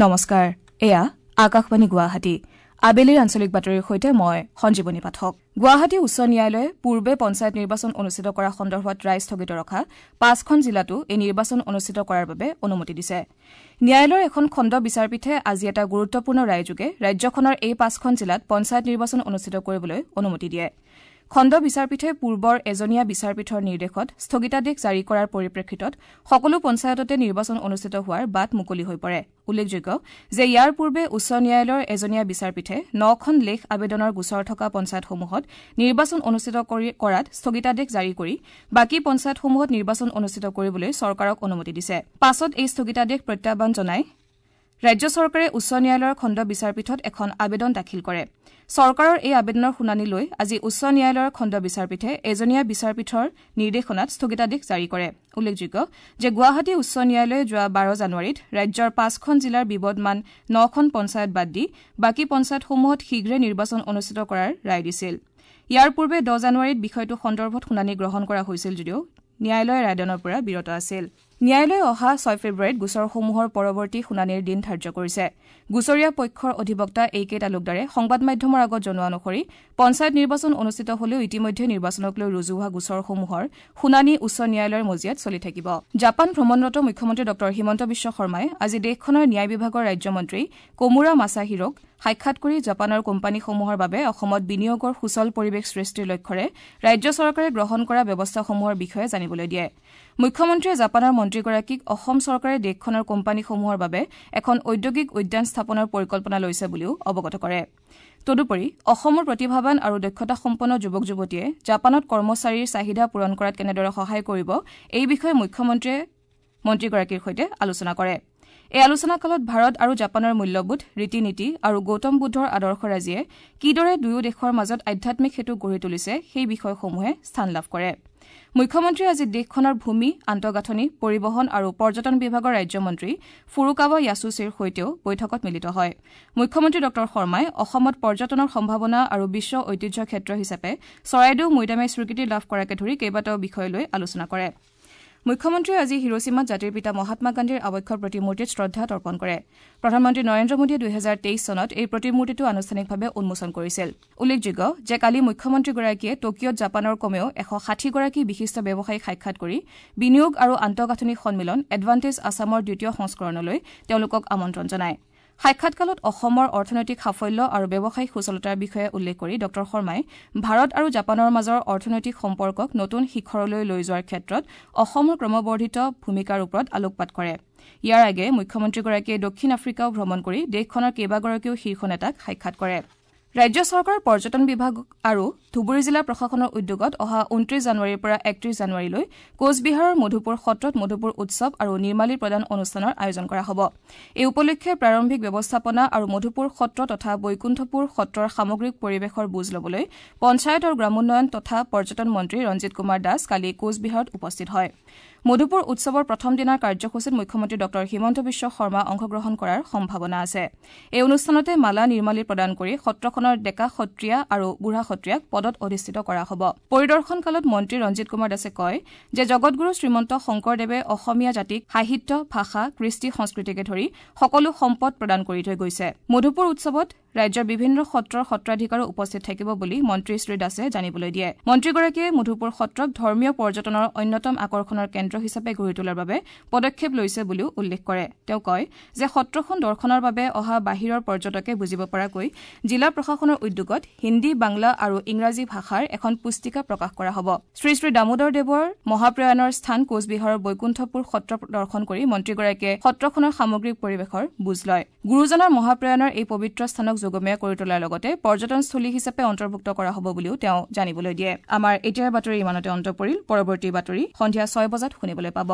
নমস্কাৰ, এয়া আকাশবাণী গুৱাহাটী। আবেলিৰ আঞ্চলিক বাতৰিৰ সৈতে মই সঞ্জীৱনী পাঠক। গুৱাহাটী উচ্চ ন্যায়ালয়ে পূৰ্বে পঞ্চায়ত নিৰ্বাচন অনুষ্ঠিত কৰা সন্দৰ্ভত ৰায় স্থগিত ৰখা ৫খন জিলাতো এই নিৰ্বাচন অনুষ্ঠিত কৰাৰ বাবে অনুমতি দিছে। ন্যায়ালয়ৰ এখন খণ্ড বিচাৰপীঠে আজি এটা গুৰুত্বপূৰ্ণ ৰায়যোগে ৰাজ্যখনৰ এই ৫খন জিলাত পঞ্চায়ত নিৰ্বাচন অনুষ্ঠিত কৰিবলৈ অনুমতি দিয়ে। খণ্ড বিচাৰপীঠে পূৰ্বৰ এজনীয়া বিচাৰপীঠৰ নিৰ্দেশত স্থগিতাদেশ জাৰি কৰাৰ পৰিপ্ৰেক্ষিতত সকলো পঞ্চায়ততে নিৰ্বাচন অনুষ্ঠিত হোৱাৰ বাট মুকলি হৈ পৰে। উল্লেখযোগ্য যে ইয়াৰ পূৰ্বে উচ্চ ন্যায়ালয়ৰ এজনীয়া বিচাৰপীঠে ৯খন লেখ আবেদনৰ গোচৰ থকা পঞ্চায়তসমূহত নিৰ্বাচন অনুষ্ঠিত কৰাত স্থগিতাদেশ জাৰি কৰি বাকী পঞ্চায়তসমূহত নিৰ্বাচন অনুষ্ঠিত কৰিবলৈ চৰকাৰক অনুমতি দিছে। পাছত এই স্থগিতাদেশ প্ৰত্যাহ্বান জনাই ৰাজ্য চৰকাৰে উচ্চ ন্যায়ালয়ৰ খণ্ড বিচাৰপীঠত এখন আবেদন দাখিল কৰে। চৰকাৰৰ এই আবেদনৰ শুনানি লৈ আজি উচ্চ ন্যায়ালয়ৰ খণ্ড বিচাৰপীঠে এজনীয়া বিচাৰপীঠৰ নিৰ্দেশনাত স্থগিতাদেশ জাৰি কৰে। উল্লেখযোগ্য যে গুৱাহাটী উচ্চ ন্যায়ালয়ে যোৱা ১২ জানুৱাৰীত ৰাজ্যৰ ৫খন জিলাৰ বিবদমান ৯খন পঞ্চায়ত বাদ দি বাকী পঞ্চায়তসমূহত শীঘ্ৰে নিৰ্বাচন অনুষ্ঠিত কৰাৰ ৰায় দিছিল। ইয়াৰ পূৰ্বে ১০ জানুৱাৰীত বিষয়টো সন্দৰ্ভত শুনানি গ্ৰহণ কৰা হৈছিল যদিও ন্যায়ালয়ে ৰায়দানৰ পৰা বিৰত আছিল। ন্যায়ালয়ে অহা ৬ ফেব্ৰুৱাৰীত গোচৰসমূহৰ পৰৱৰ্তী শুনানিৰ দিন ধাৰ্য কৰিছে। গোচৰীয়া পক্ষৰ অধিবক্তা এ কে তালুকদাৰে সংবাদ মাধ্যমৰ আগত জনোৱা অনুসৰি পঞ্চায়ত নিৰ্বাচন অনুষ্ঠিত হলেও ইতিমধ্যে নিৰ্বাচনক লৈ ৰুজু হোৱা গোচৰসমূহৰ শুনানি উচ্চ ন্যায়ালয়ৰ মজিয়াত চলি থাকিব। জাপান ভ্ৰমণৰত মুখ্যমন্ত্ৰী ডঃ হিমন্ত বিশ্ব শৰ্মাই আজি দেশখনৰ ন্যায় বিভাগৰ ৰাজ্যমন্ত্ৰী কোমুৰা মাছাহিৰোক সাক্ষাৎ কৰি জাপানৰ কোম্পানীসমূহৰ বাবে অসমত বিনিয়োগৰ সুচল পৰিৱেশ সৃষ্টিৰ লক্ষ্যৰে ৰাজ্য চৰকাৰে গ্ৰহণ কৰা ব্যৱস্থাসমূহৰ বিষয়ে জানিবলৈ দিয়ে। মুখ্যমন্ত্ৰীয়ে জাপানৰ মন্ত্ৰীগৰাকীক অসম চৰকাৰে দেশখনৰ কোম্পানীসমূহৰ বাবে এখন ঔদ্যোগিক উদ্যান স্থাপনৰ পৰিকল্পনা লৈছে বুলিও অৱগত কৰে। তদুপৰি অসমৰ প্ৰতিভাৱান আৰু দক্ষতাসম্পন্ন যুৱক যুৱতীয়ে জাপানত কৰ্মচাৰীৰ চাহিদা পূৰণ কৰাত কেনেদৰে সহায় কৰিব এই বিষয়ে মুখ্যমন্ত্ৰীয়ে মন্ত্ৰীগৰাকীৰ সৈতে আলোচনা কৰে। এই আলোচনাকালত ভাৰত আৰু জাপানৰ মূল্যবোধ, ৰীতি নীতি আৰু গৌতম বুদ্ধৰ আদৰ্শৰাজিয়ে কিদৰে দুয়ো দেশৰ মাজত আধ্যাত্মিক সেতু গঢ়ি তুলিছে সেই বিষয়সমূহে স্থান লাভ কৰে। মুখ্যমন্ত্ৰীয়ে আজি দেশখনৰ ভূমি, আন্তঃগাঁথনি, পৰিবহণ আৰু পৰ্যটন বিভাগৰ ৰাজ্যমন্ত্ৰী ফুৰুকাৱা য়াছুছিৰ সৈতেও বৈঠকত মিলিত হয়। মুখ্যমন্ত্ৰী ডঃ শৰ্মাই অসমত পৰ্যটনৰ সম্ভাৱনা আৰু বিশ্ব ঐতিহ্য ক্ষেত্ৰ হিচাপে চৰাইদেউ মৈদামে স্বীকৃতি লাভ কৰাকে ধৰি কেইবাটাও বিষয় লৈ আলোচনা কৰে। মুখ্যমন্ত্ৰীয়ে আজি হিৰোছিমাত জাতিৰ পিতা মহাত্মা গান্ধীৰ আৱক্ষ প্ৰতিমূৰ্তিত শ্ৰদ্ধা তৰ্পণ কৰে। প্ৰধানমন্ত্ৰী নৰেন্দ্ৰ মোদীয়ে ২০২৩ চনত এই প্ৰতিমূৰ্তিটো আনুষ্ঠানিকভাৱে উন্মোচন কৰিছিল। উল্লেখযোগ্য যে কালি মুখ্যমন্ত্ৰীগৰাকীয়ে টকিঅ'ত জাপানৰ কমেও ১৬০গৰাকী বিশিষ্ট ব্যৱসায়ীক সাক্ষাৎ কৰি বিনিয়োগ আৰু আন্তঃগাঁথনি সন্মিলন এডভান্টেজ আছামৰ দ্বিতীয় সংস্কৰণলৈ তেওঁলোকক আমন্ত্ৰণ জনায়। সাক্ষাৎকালত অসমৰ অৰ্থনৈতিক সাফল্য আৰু ব্যৱসায়িক সুচলতাৰ বিষয়ে উল্লেখ কৰি ডঃ শৰ্মাই ভাৰত আৰু জাপানৰ মাজৰ অৰ্থনৈতিক সম্পৰ্কক নতুন শিখৰলৈ লৈ যোৱাৰ ক্ষেত্ৰত অসমৰ ক্ৰমবৰ্ধিত ভূমিকাৰ ওপৰত আলোকপাত কৰে। ইয়াৰ আগেয়ে মুখ্যমন্ত্ৰীগৰাকীয়ে দক্ষিণ আফ্ৰিকাও ভ্ৰমণ কৰি দেশখনৰ কেইবাগৰাকীও শীৰ্ষ নেতাক সাক্ষাৎ কৰে। ৰাজ্য চৰকাৰৰ পৰ্যটন বিভাগ আৰু ধুবুৰী জিলা প্ৰশাসনৰ উদ্যোগত অহা ২৯ জানুৱাৰীৰ পৰা ৩১ জানুৱাৰীলৈ কোচবিহাৰৰ মধুপুৰ সত্ৰত মধুপুৰ উৎসৱ আৰু নিৰ্মালী প্ৰদান অনুষ্ঠানৰ আয়োজন কৰা হ'ব। এই উপলক্ষে প্ৰাৰম্ভিক ব্যৱস্থাপনা আৰু মধুপুৰ সত্ৰ তথা বৈকুণ্ঠপুৰ সত্ৰৰ সামগ্ৰিক পৰিৱেশৰ বুজ ল'বলৈ পঞ্চায়ত আৰু গ্ৰামোন্নয়ন তথা পৰ্যটন মন্ত্ৰী ৰঞ্জিত কুমাৰ দাস কালি কোচবিহাৰত উপস্থিত হয়। মধুপুৰ উৎসৱৰ প্ৰথম দিনাৰ কাৰ্যসূচীত মুখ্যমন্ত্ৰী ডঃ হিমন্ত বিশ্ব শৰ্মা অংশগ্ৰহণ কৰাৰ সম্ভাৱনা আছে। এই অনুষ্ঠানতে মালা নিৰ্মালী প্ৰদান কৰি সত্ৰখনৰ ডেকা সত্ৰীয়া আৰু বুঢ়া সত্ৰীয়াক পদত অধিষ্ঠিত কৰা হ'ব। পৰিদৰ্শনকালত মন্ত্ৰী ৰঞ্জিত কুমাৰ দাসে কয় যে জগতগুৰু শ্ৰীমন্ত শংকৰদেৱে অসমীয়া জাতিক সাহিত্য, ভাষা, কৃষ্টি সংস্কৃতিকে ধৰি সকলো সম্পদ প্ৰদান কৰি থৈ গৈছে। মধুপুৰ উৎসৱত ৰাজ্যৰ বিভিন্ন সত্ৰৰ সত্ৰাধিকাৰো উপস্থিত থাকিব বুলি মন্ত্ৰী শ্ৰী দাসে জানিবলৈ দিয়ে। মন্ত্ৰীগৰাকীয়ে মধুপুৰ সত্ৰক ধৰ্মীয় পৰ্যটনৰ অন্যতম আকৰ্ষণৰ কেন্দ্ৰ হিচাপে গঢ়ি তোলাৰ বাবে পদক্ষেপ লৈছে বুলিও উল্লেখ কৰে। তেওঁ কয় যে সত্ৰখন দৰ্শনৰ বাবে অহা বাহিৰৰ পৰ্যটকে বুজিব পৰাকৈ জিলা প্ৰশাসনৰ উদ্যোগত হিন্দী, বাংলা আৰু ইংৰাজী ভাষাৰ এখন পুস্তিকা প্ৰকাশ কৰা হ'ব। শ্ৰী শ্ৰী দামোদৰ দেৱৰ মহাপ্ৰয়াণৰ স্থান কোচবিহাৰৰ বৈকুণ্ঠপুৰ সত্ৰ দৰ্শন কৰি মন্ত্ৰীগৰাকীয়ে সত্ৰখনৰ সামগ্ৰিক পৰিৱেশৰ বুজ লয়। গুৰুজনাৰ মহাপ্ৰয়াণৰ এই পবিত্ৰ স্থানক যুগমীয়া কৰি তোলাৰ লগতে পৰ্যটনস্থলী হিচাপে অন্তৰ্ভুক্ত কৰা হ'ব বুলিও তেওঁ জানিবলৈ দিয়ে। আমাৰ এতিয়াৰ বাতৰি ইমানতে অন্ত পৰিল। পৰৱৰ্তী বাতৰি সন্ধিয়া ৬ বজাত শুনিবলৈ পাব।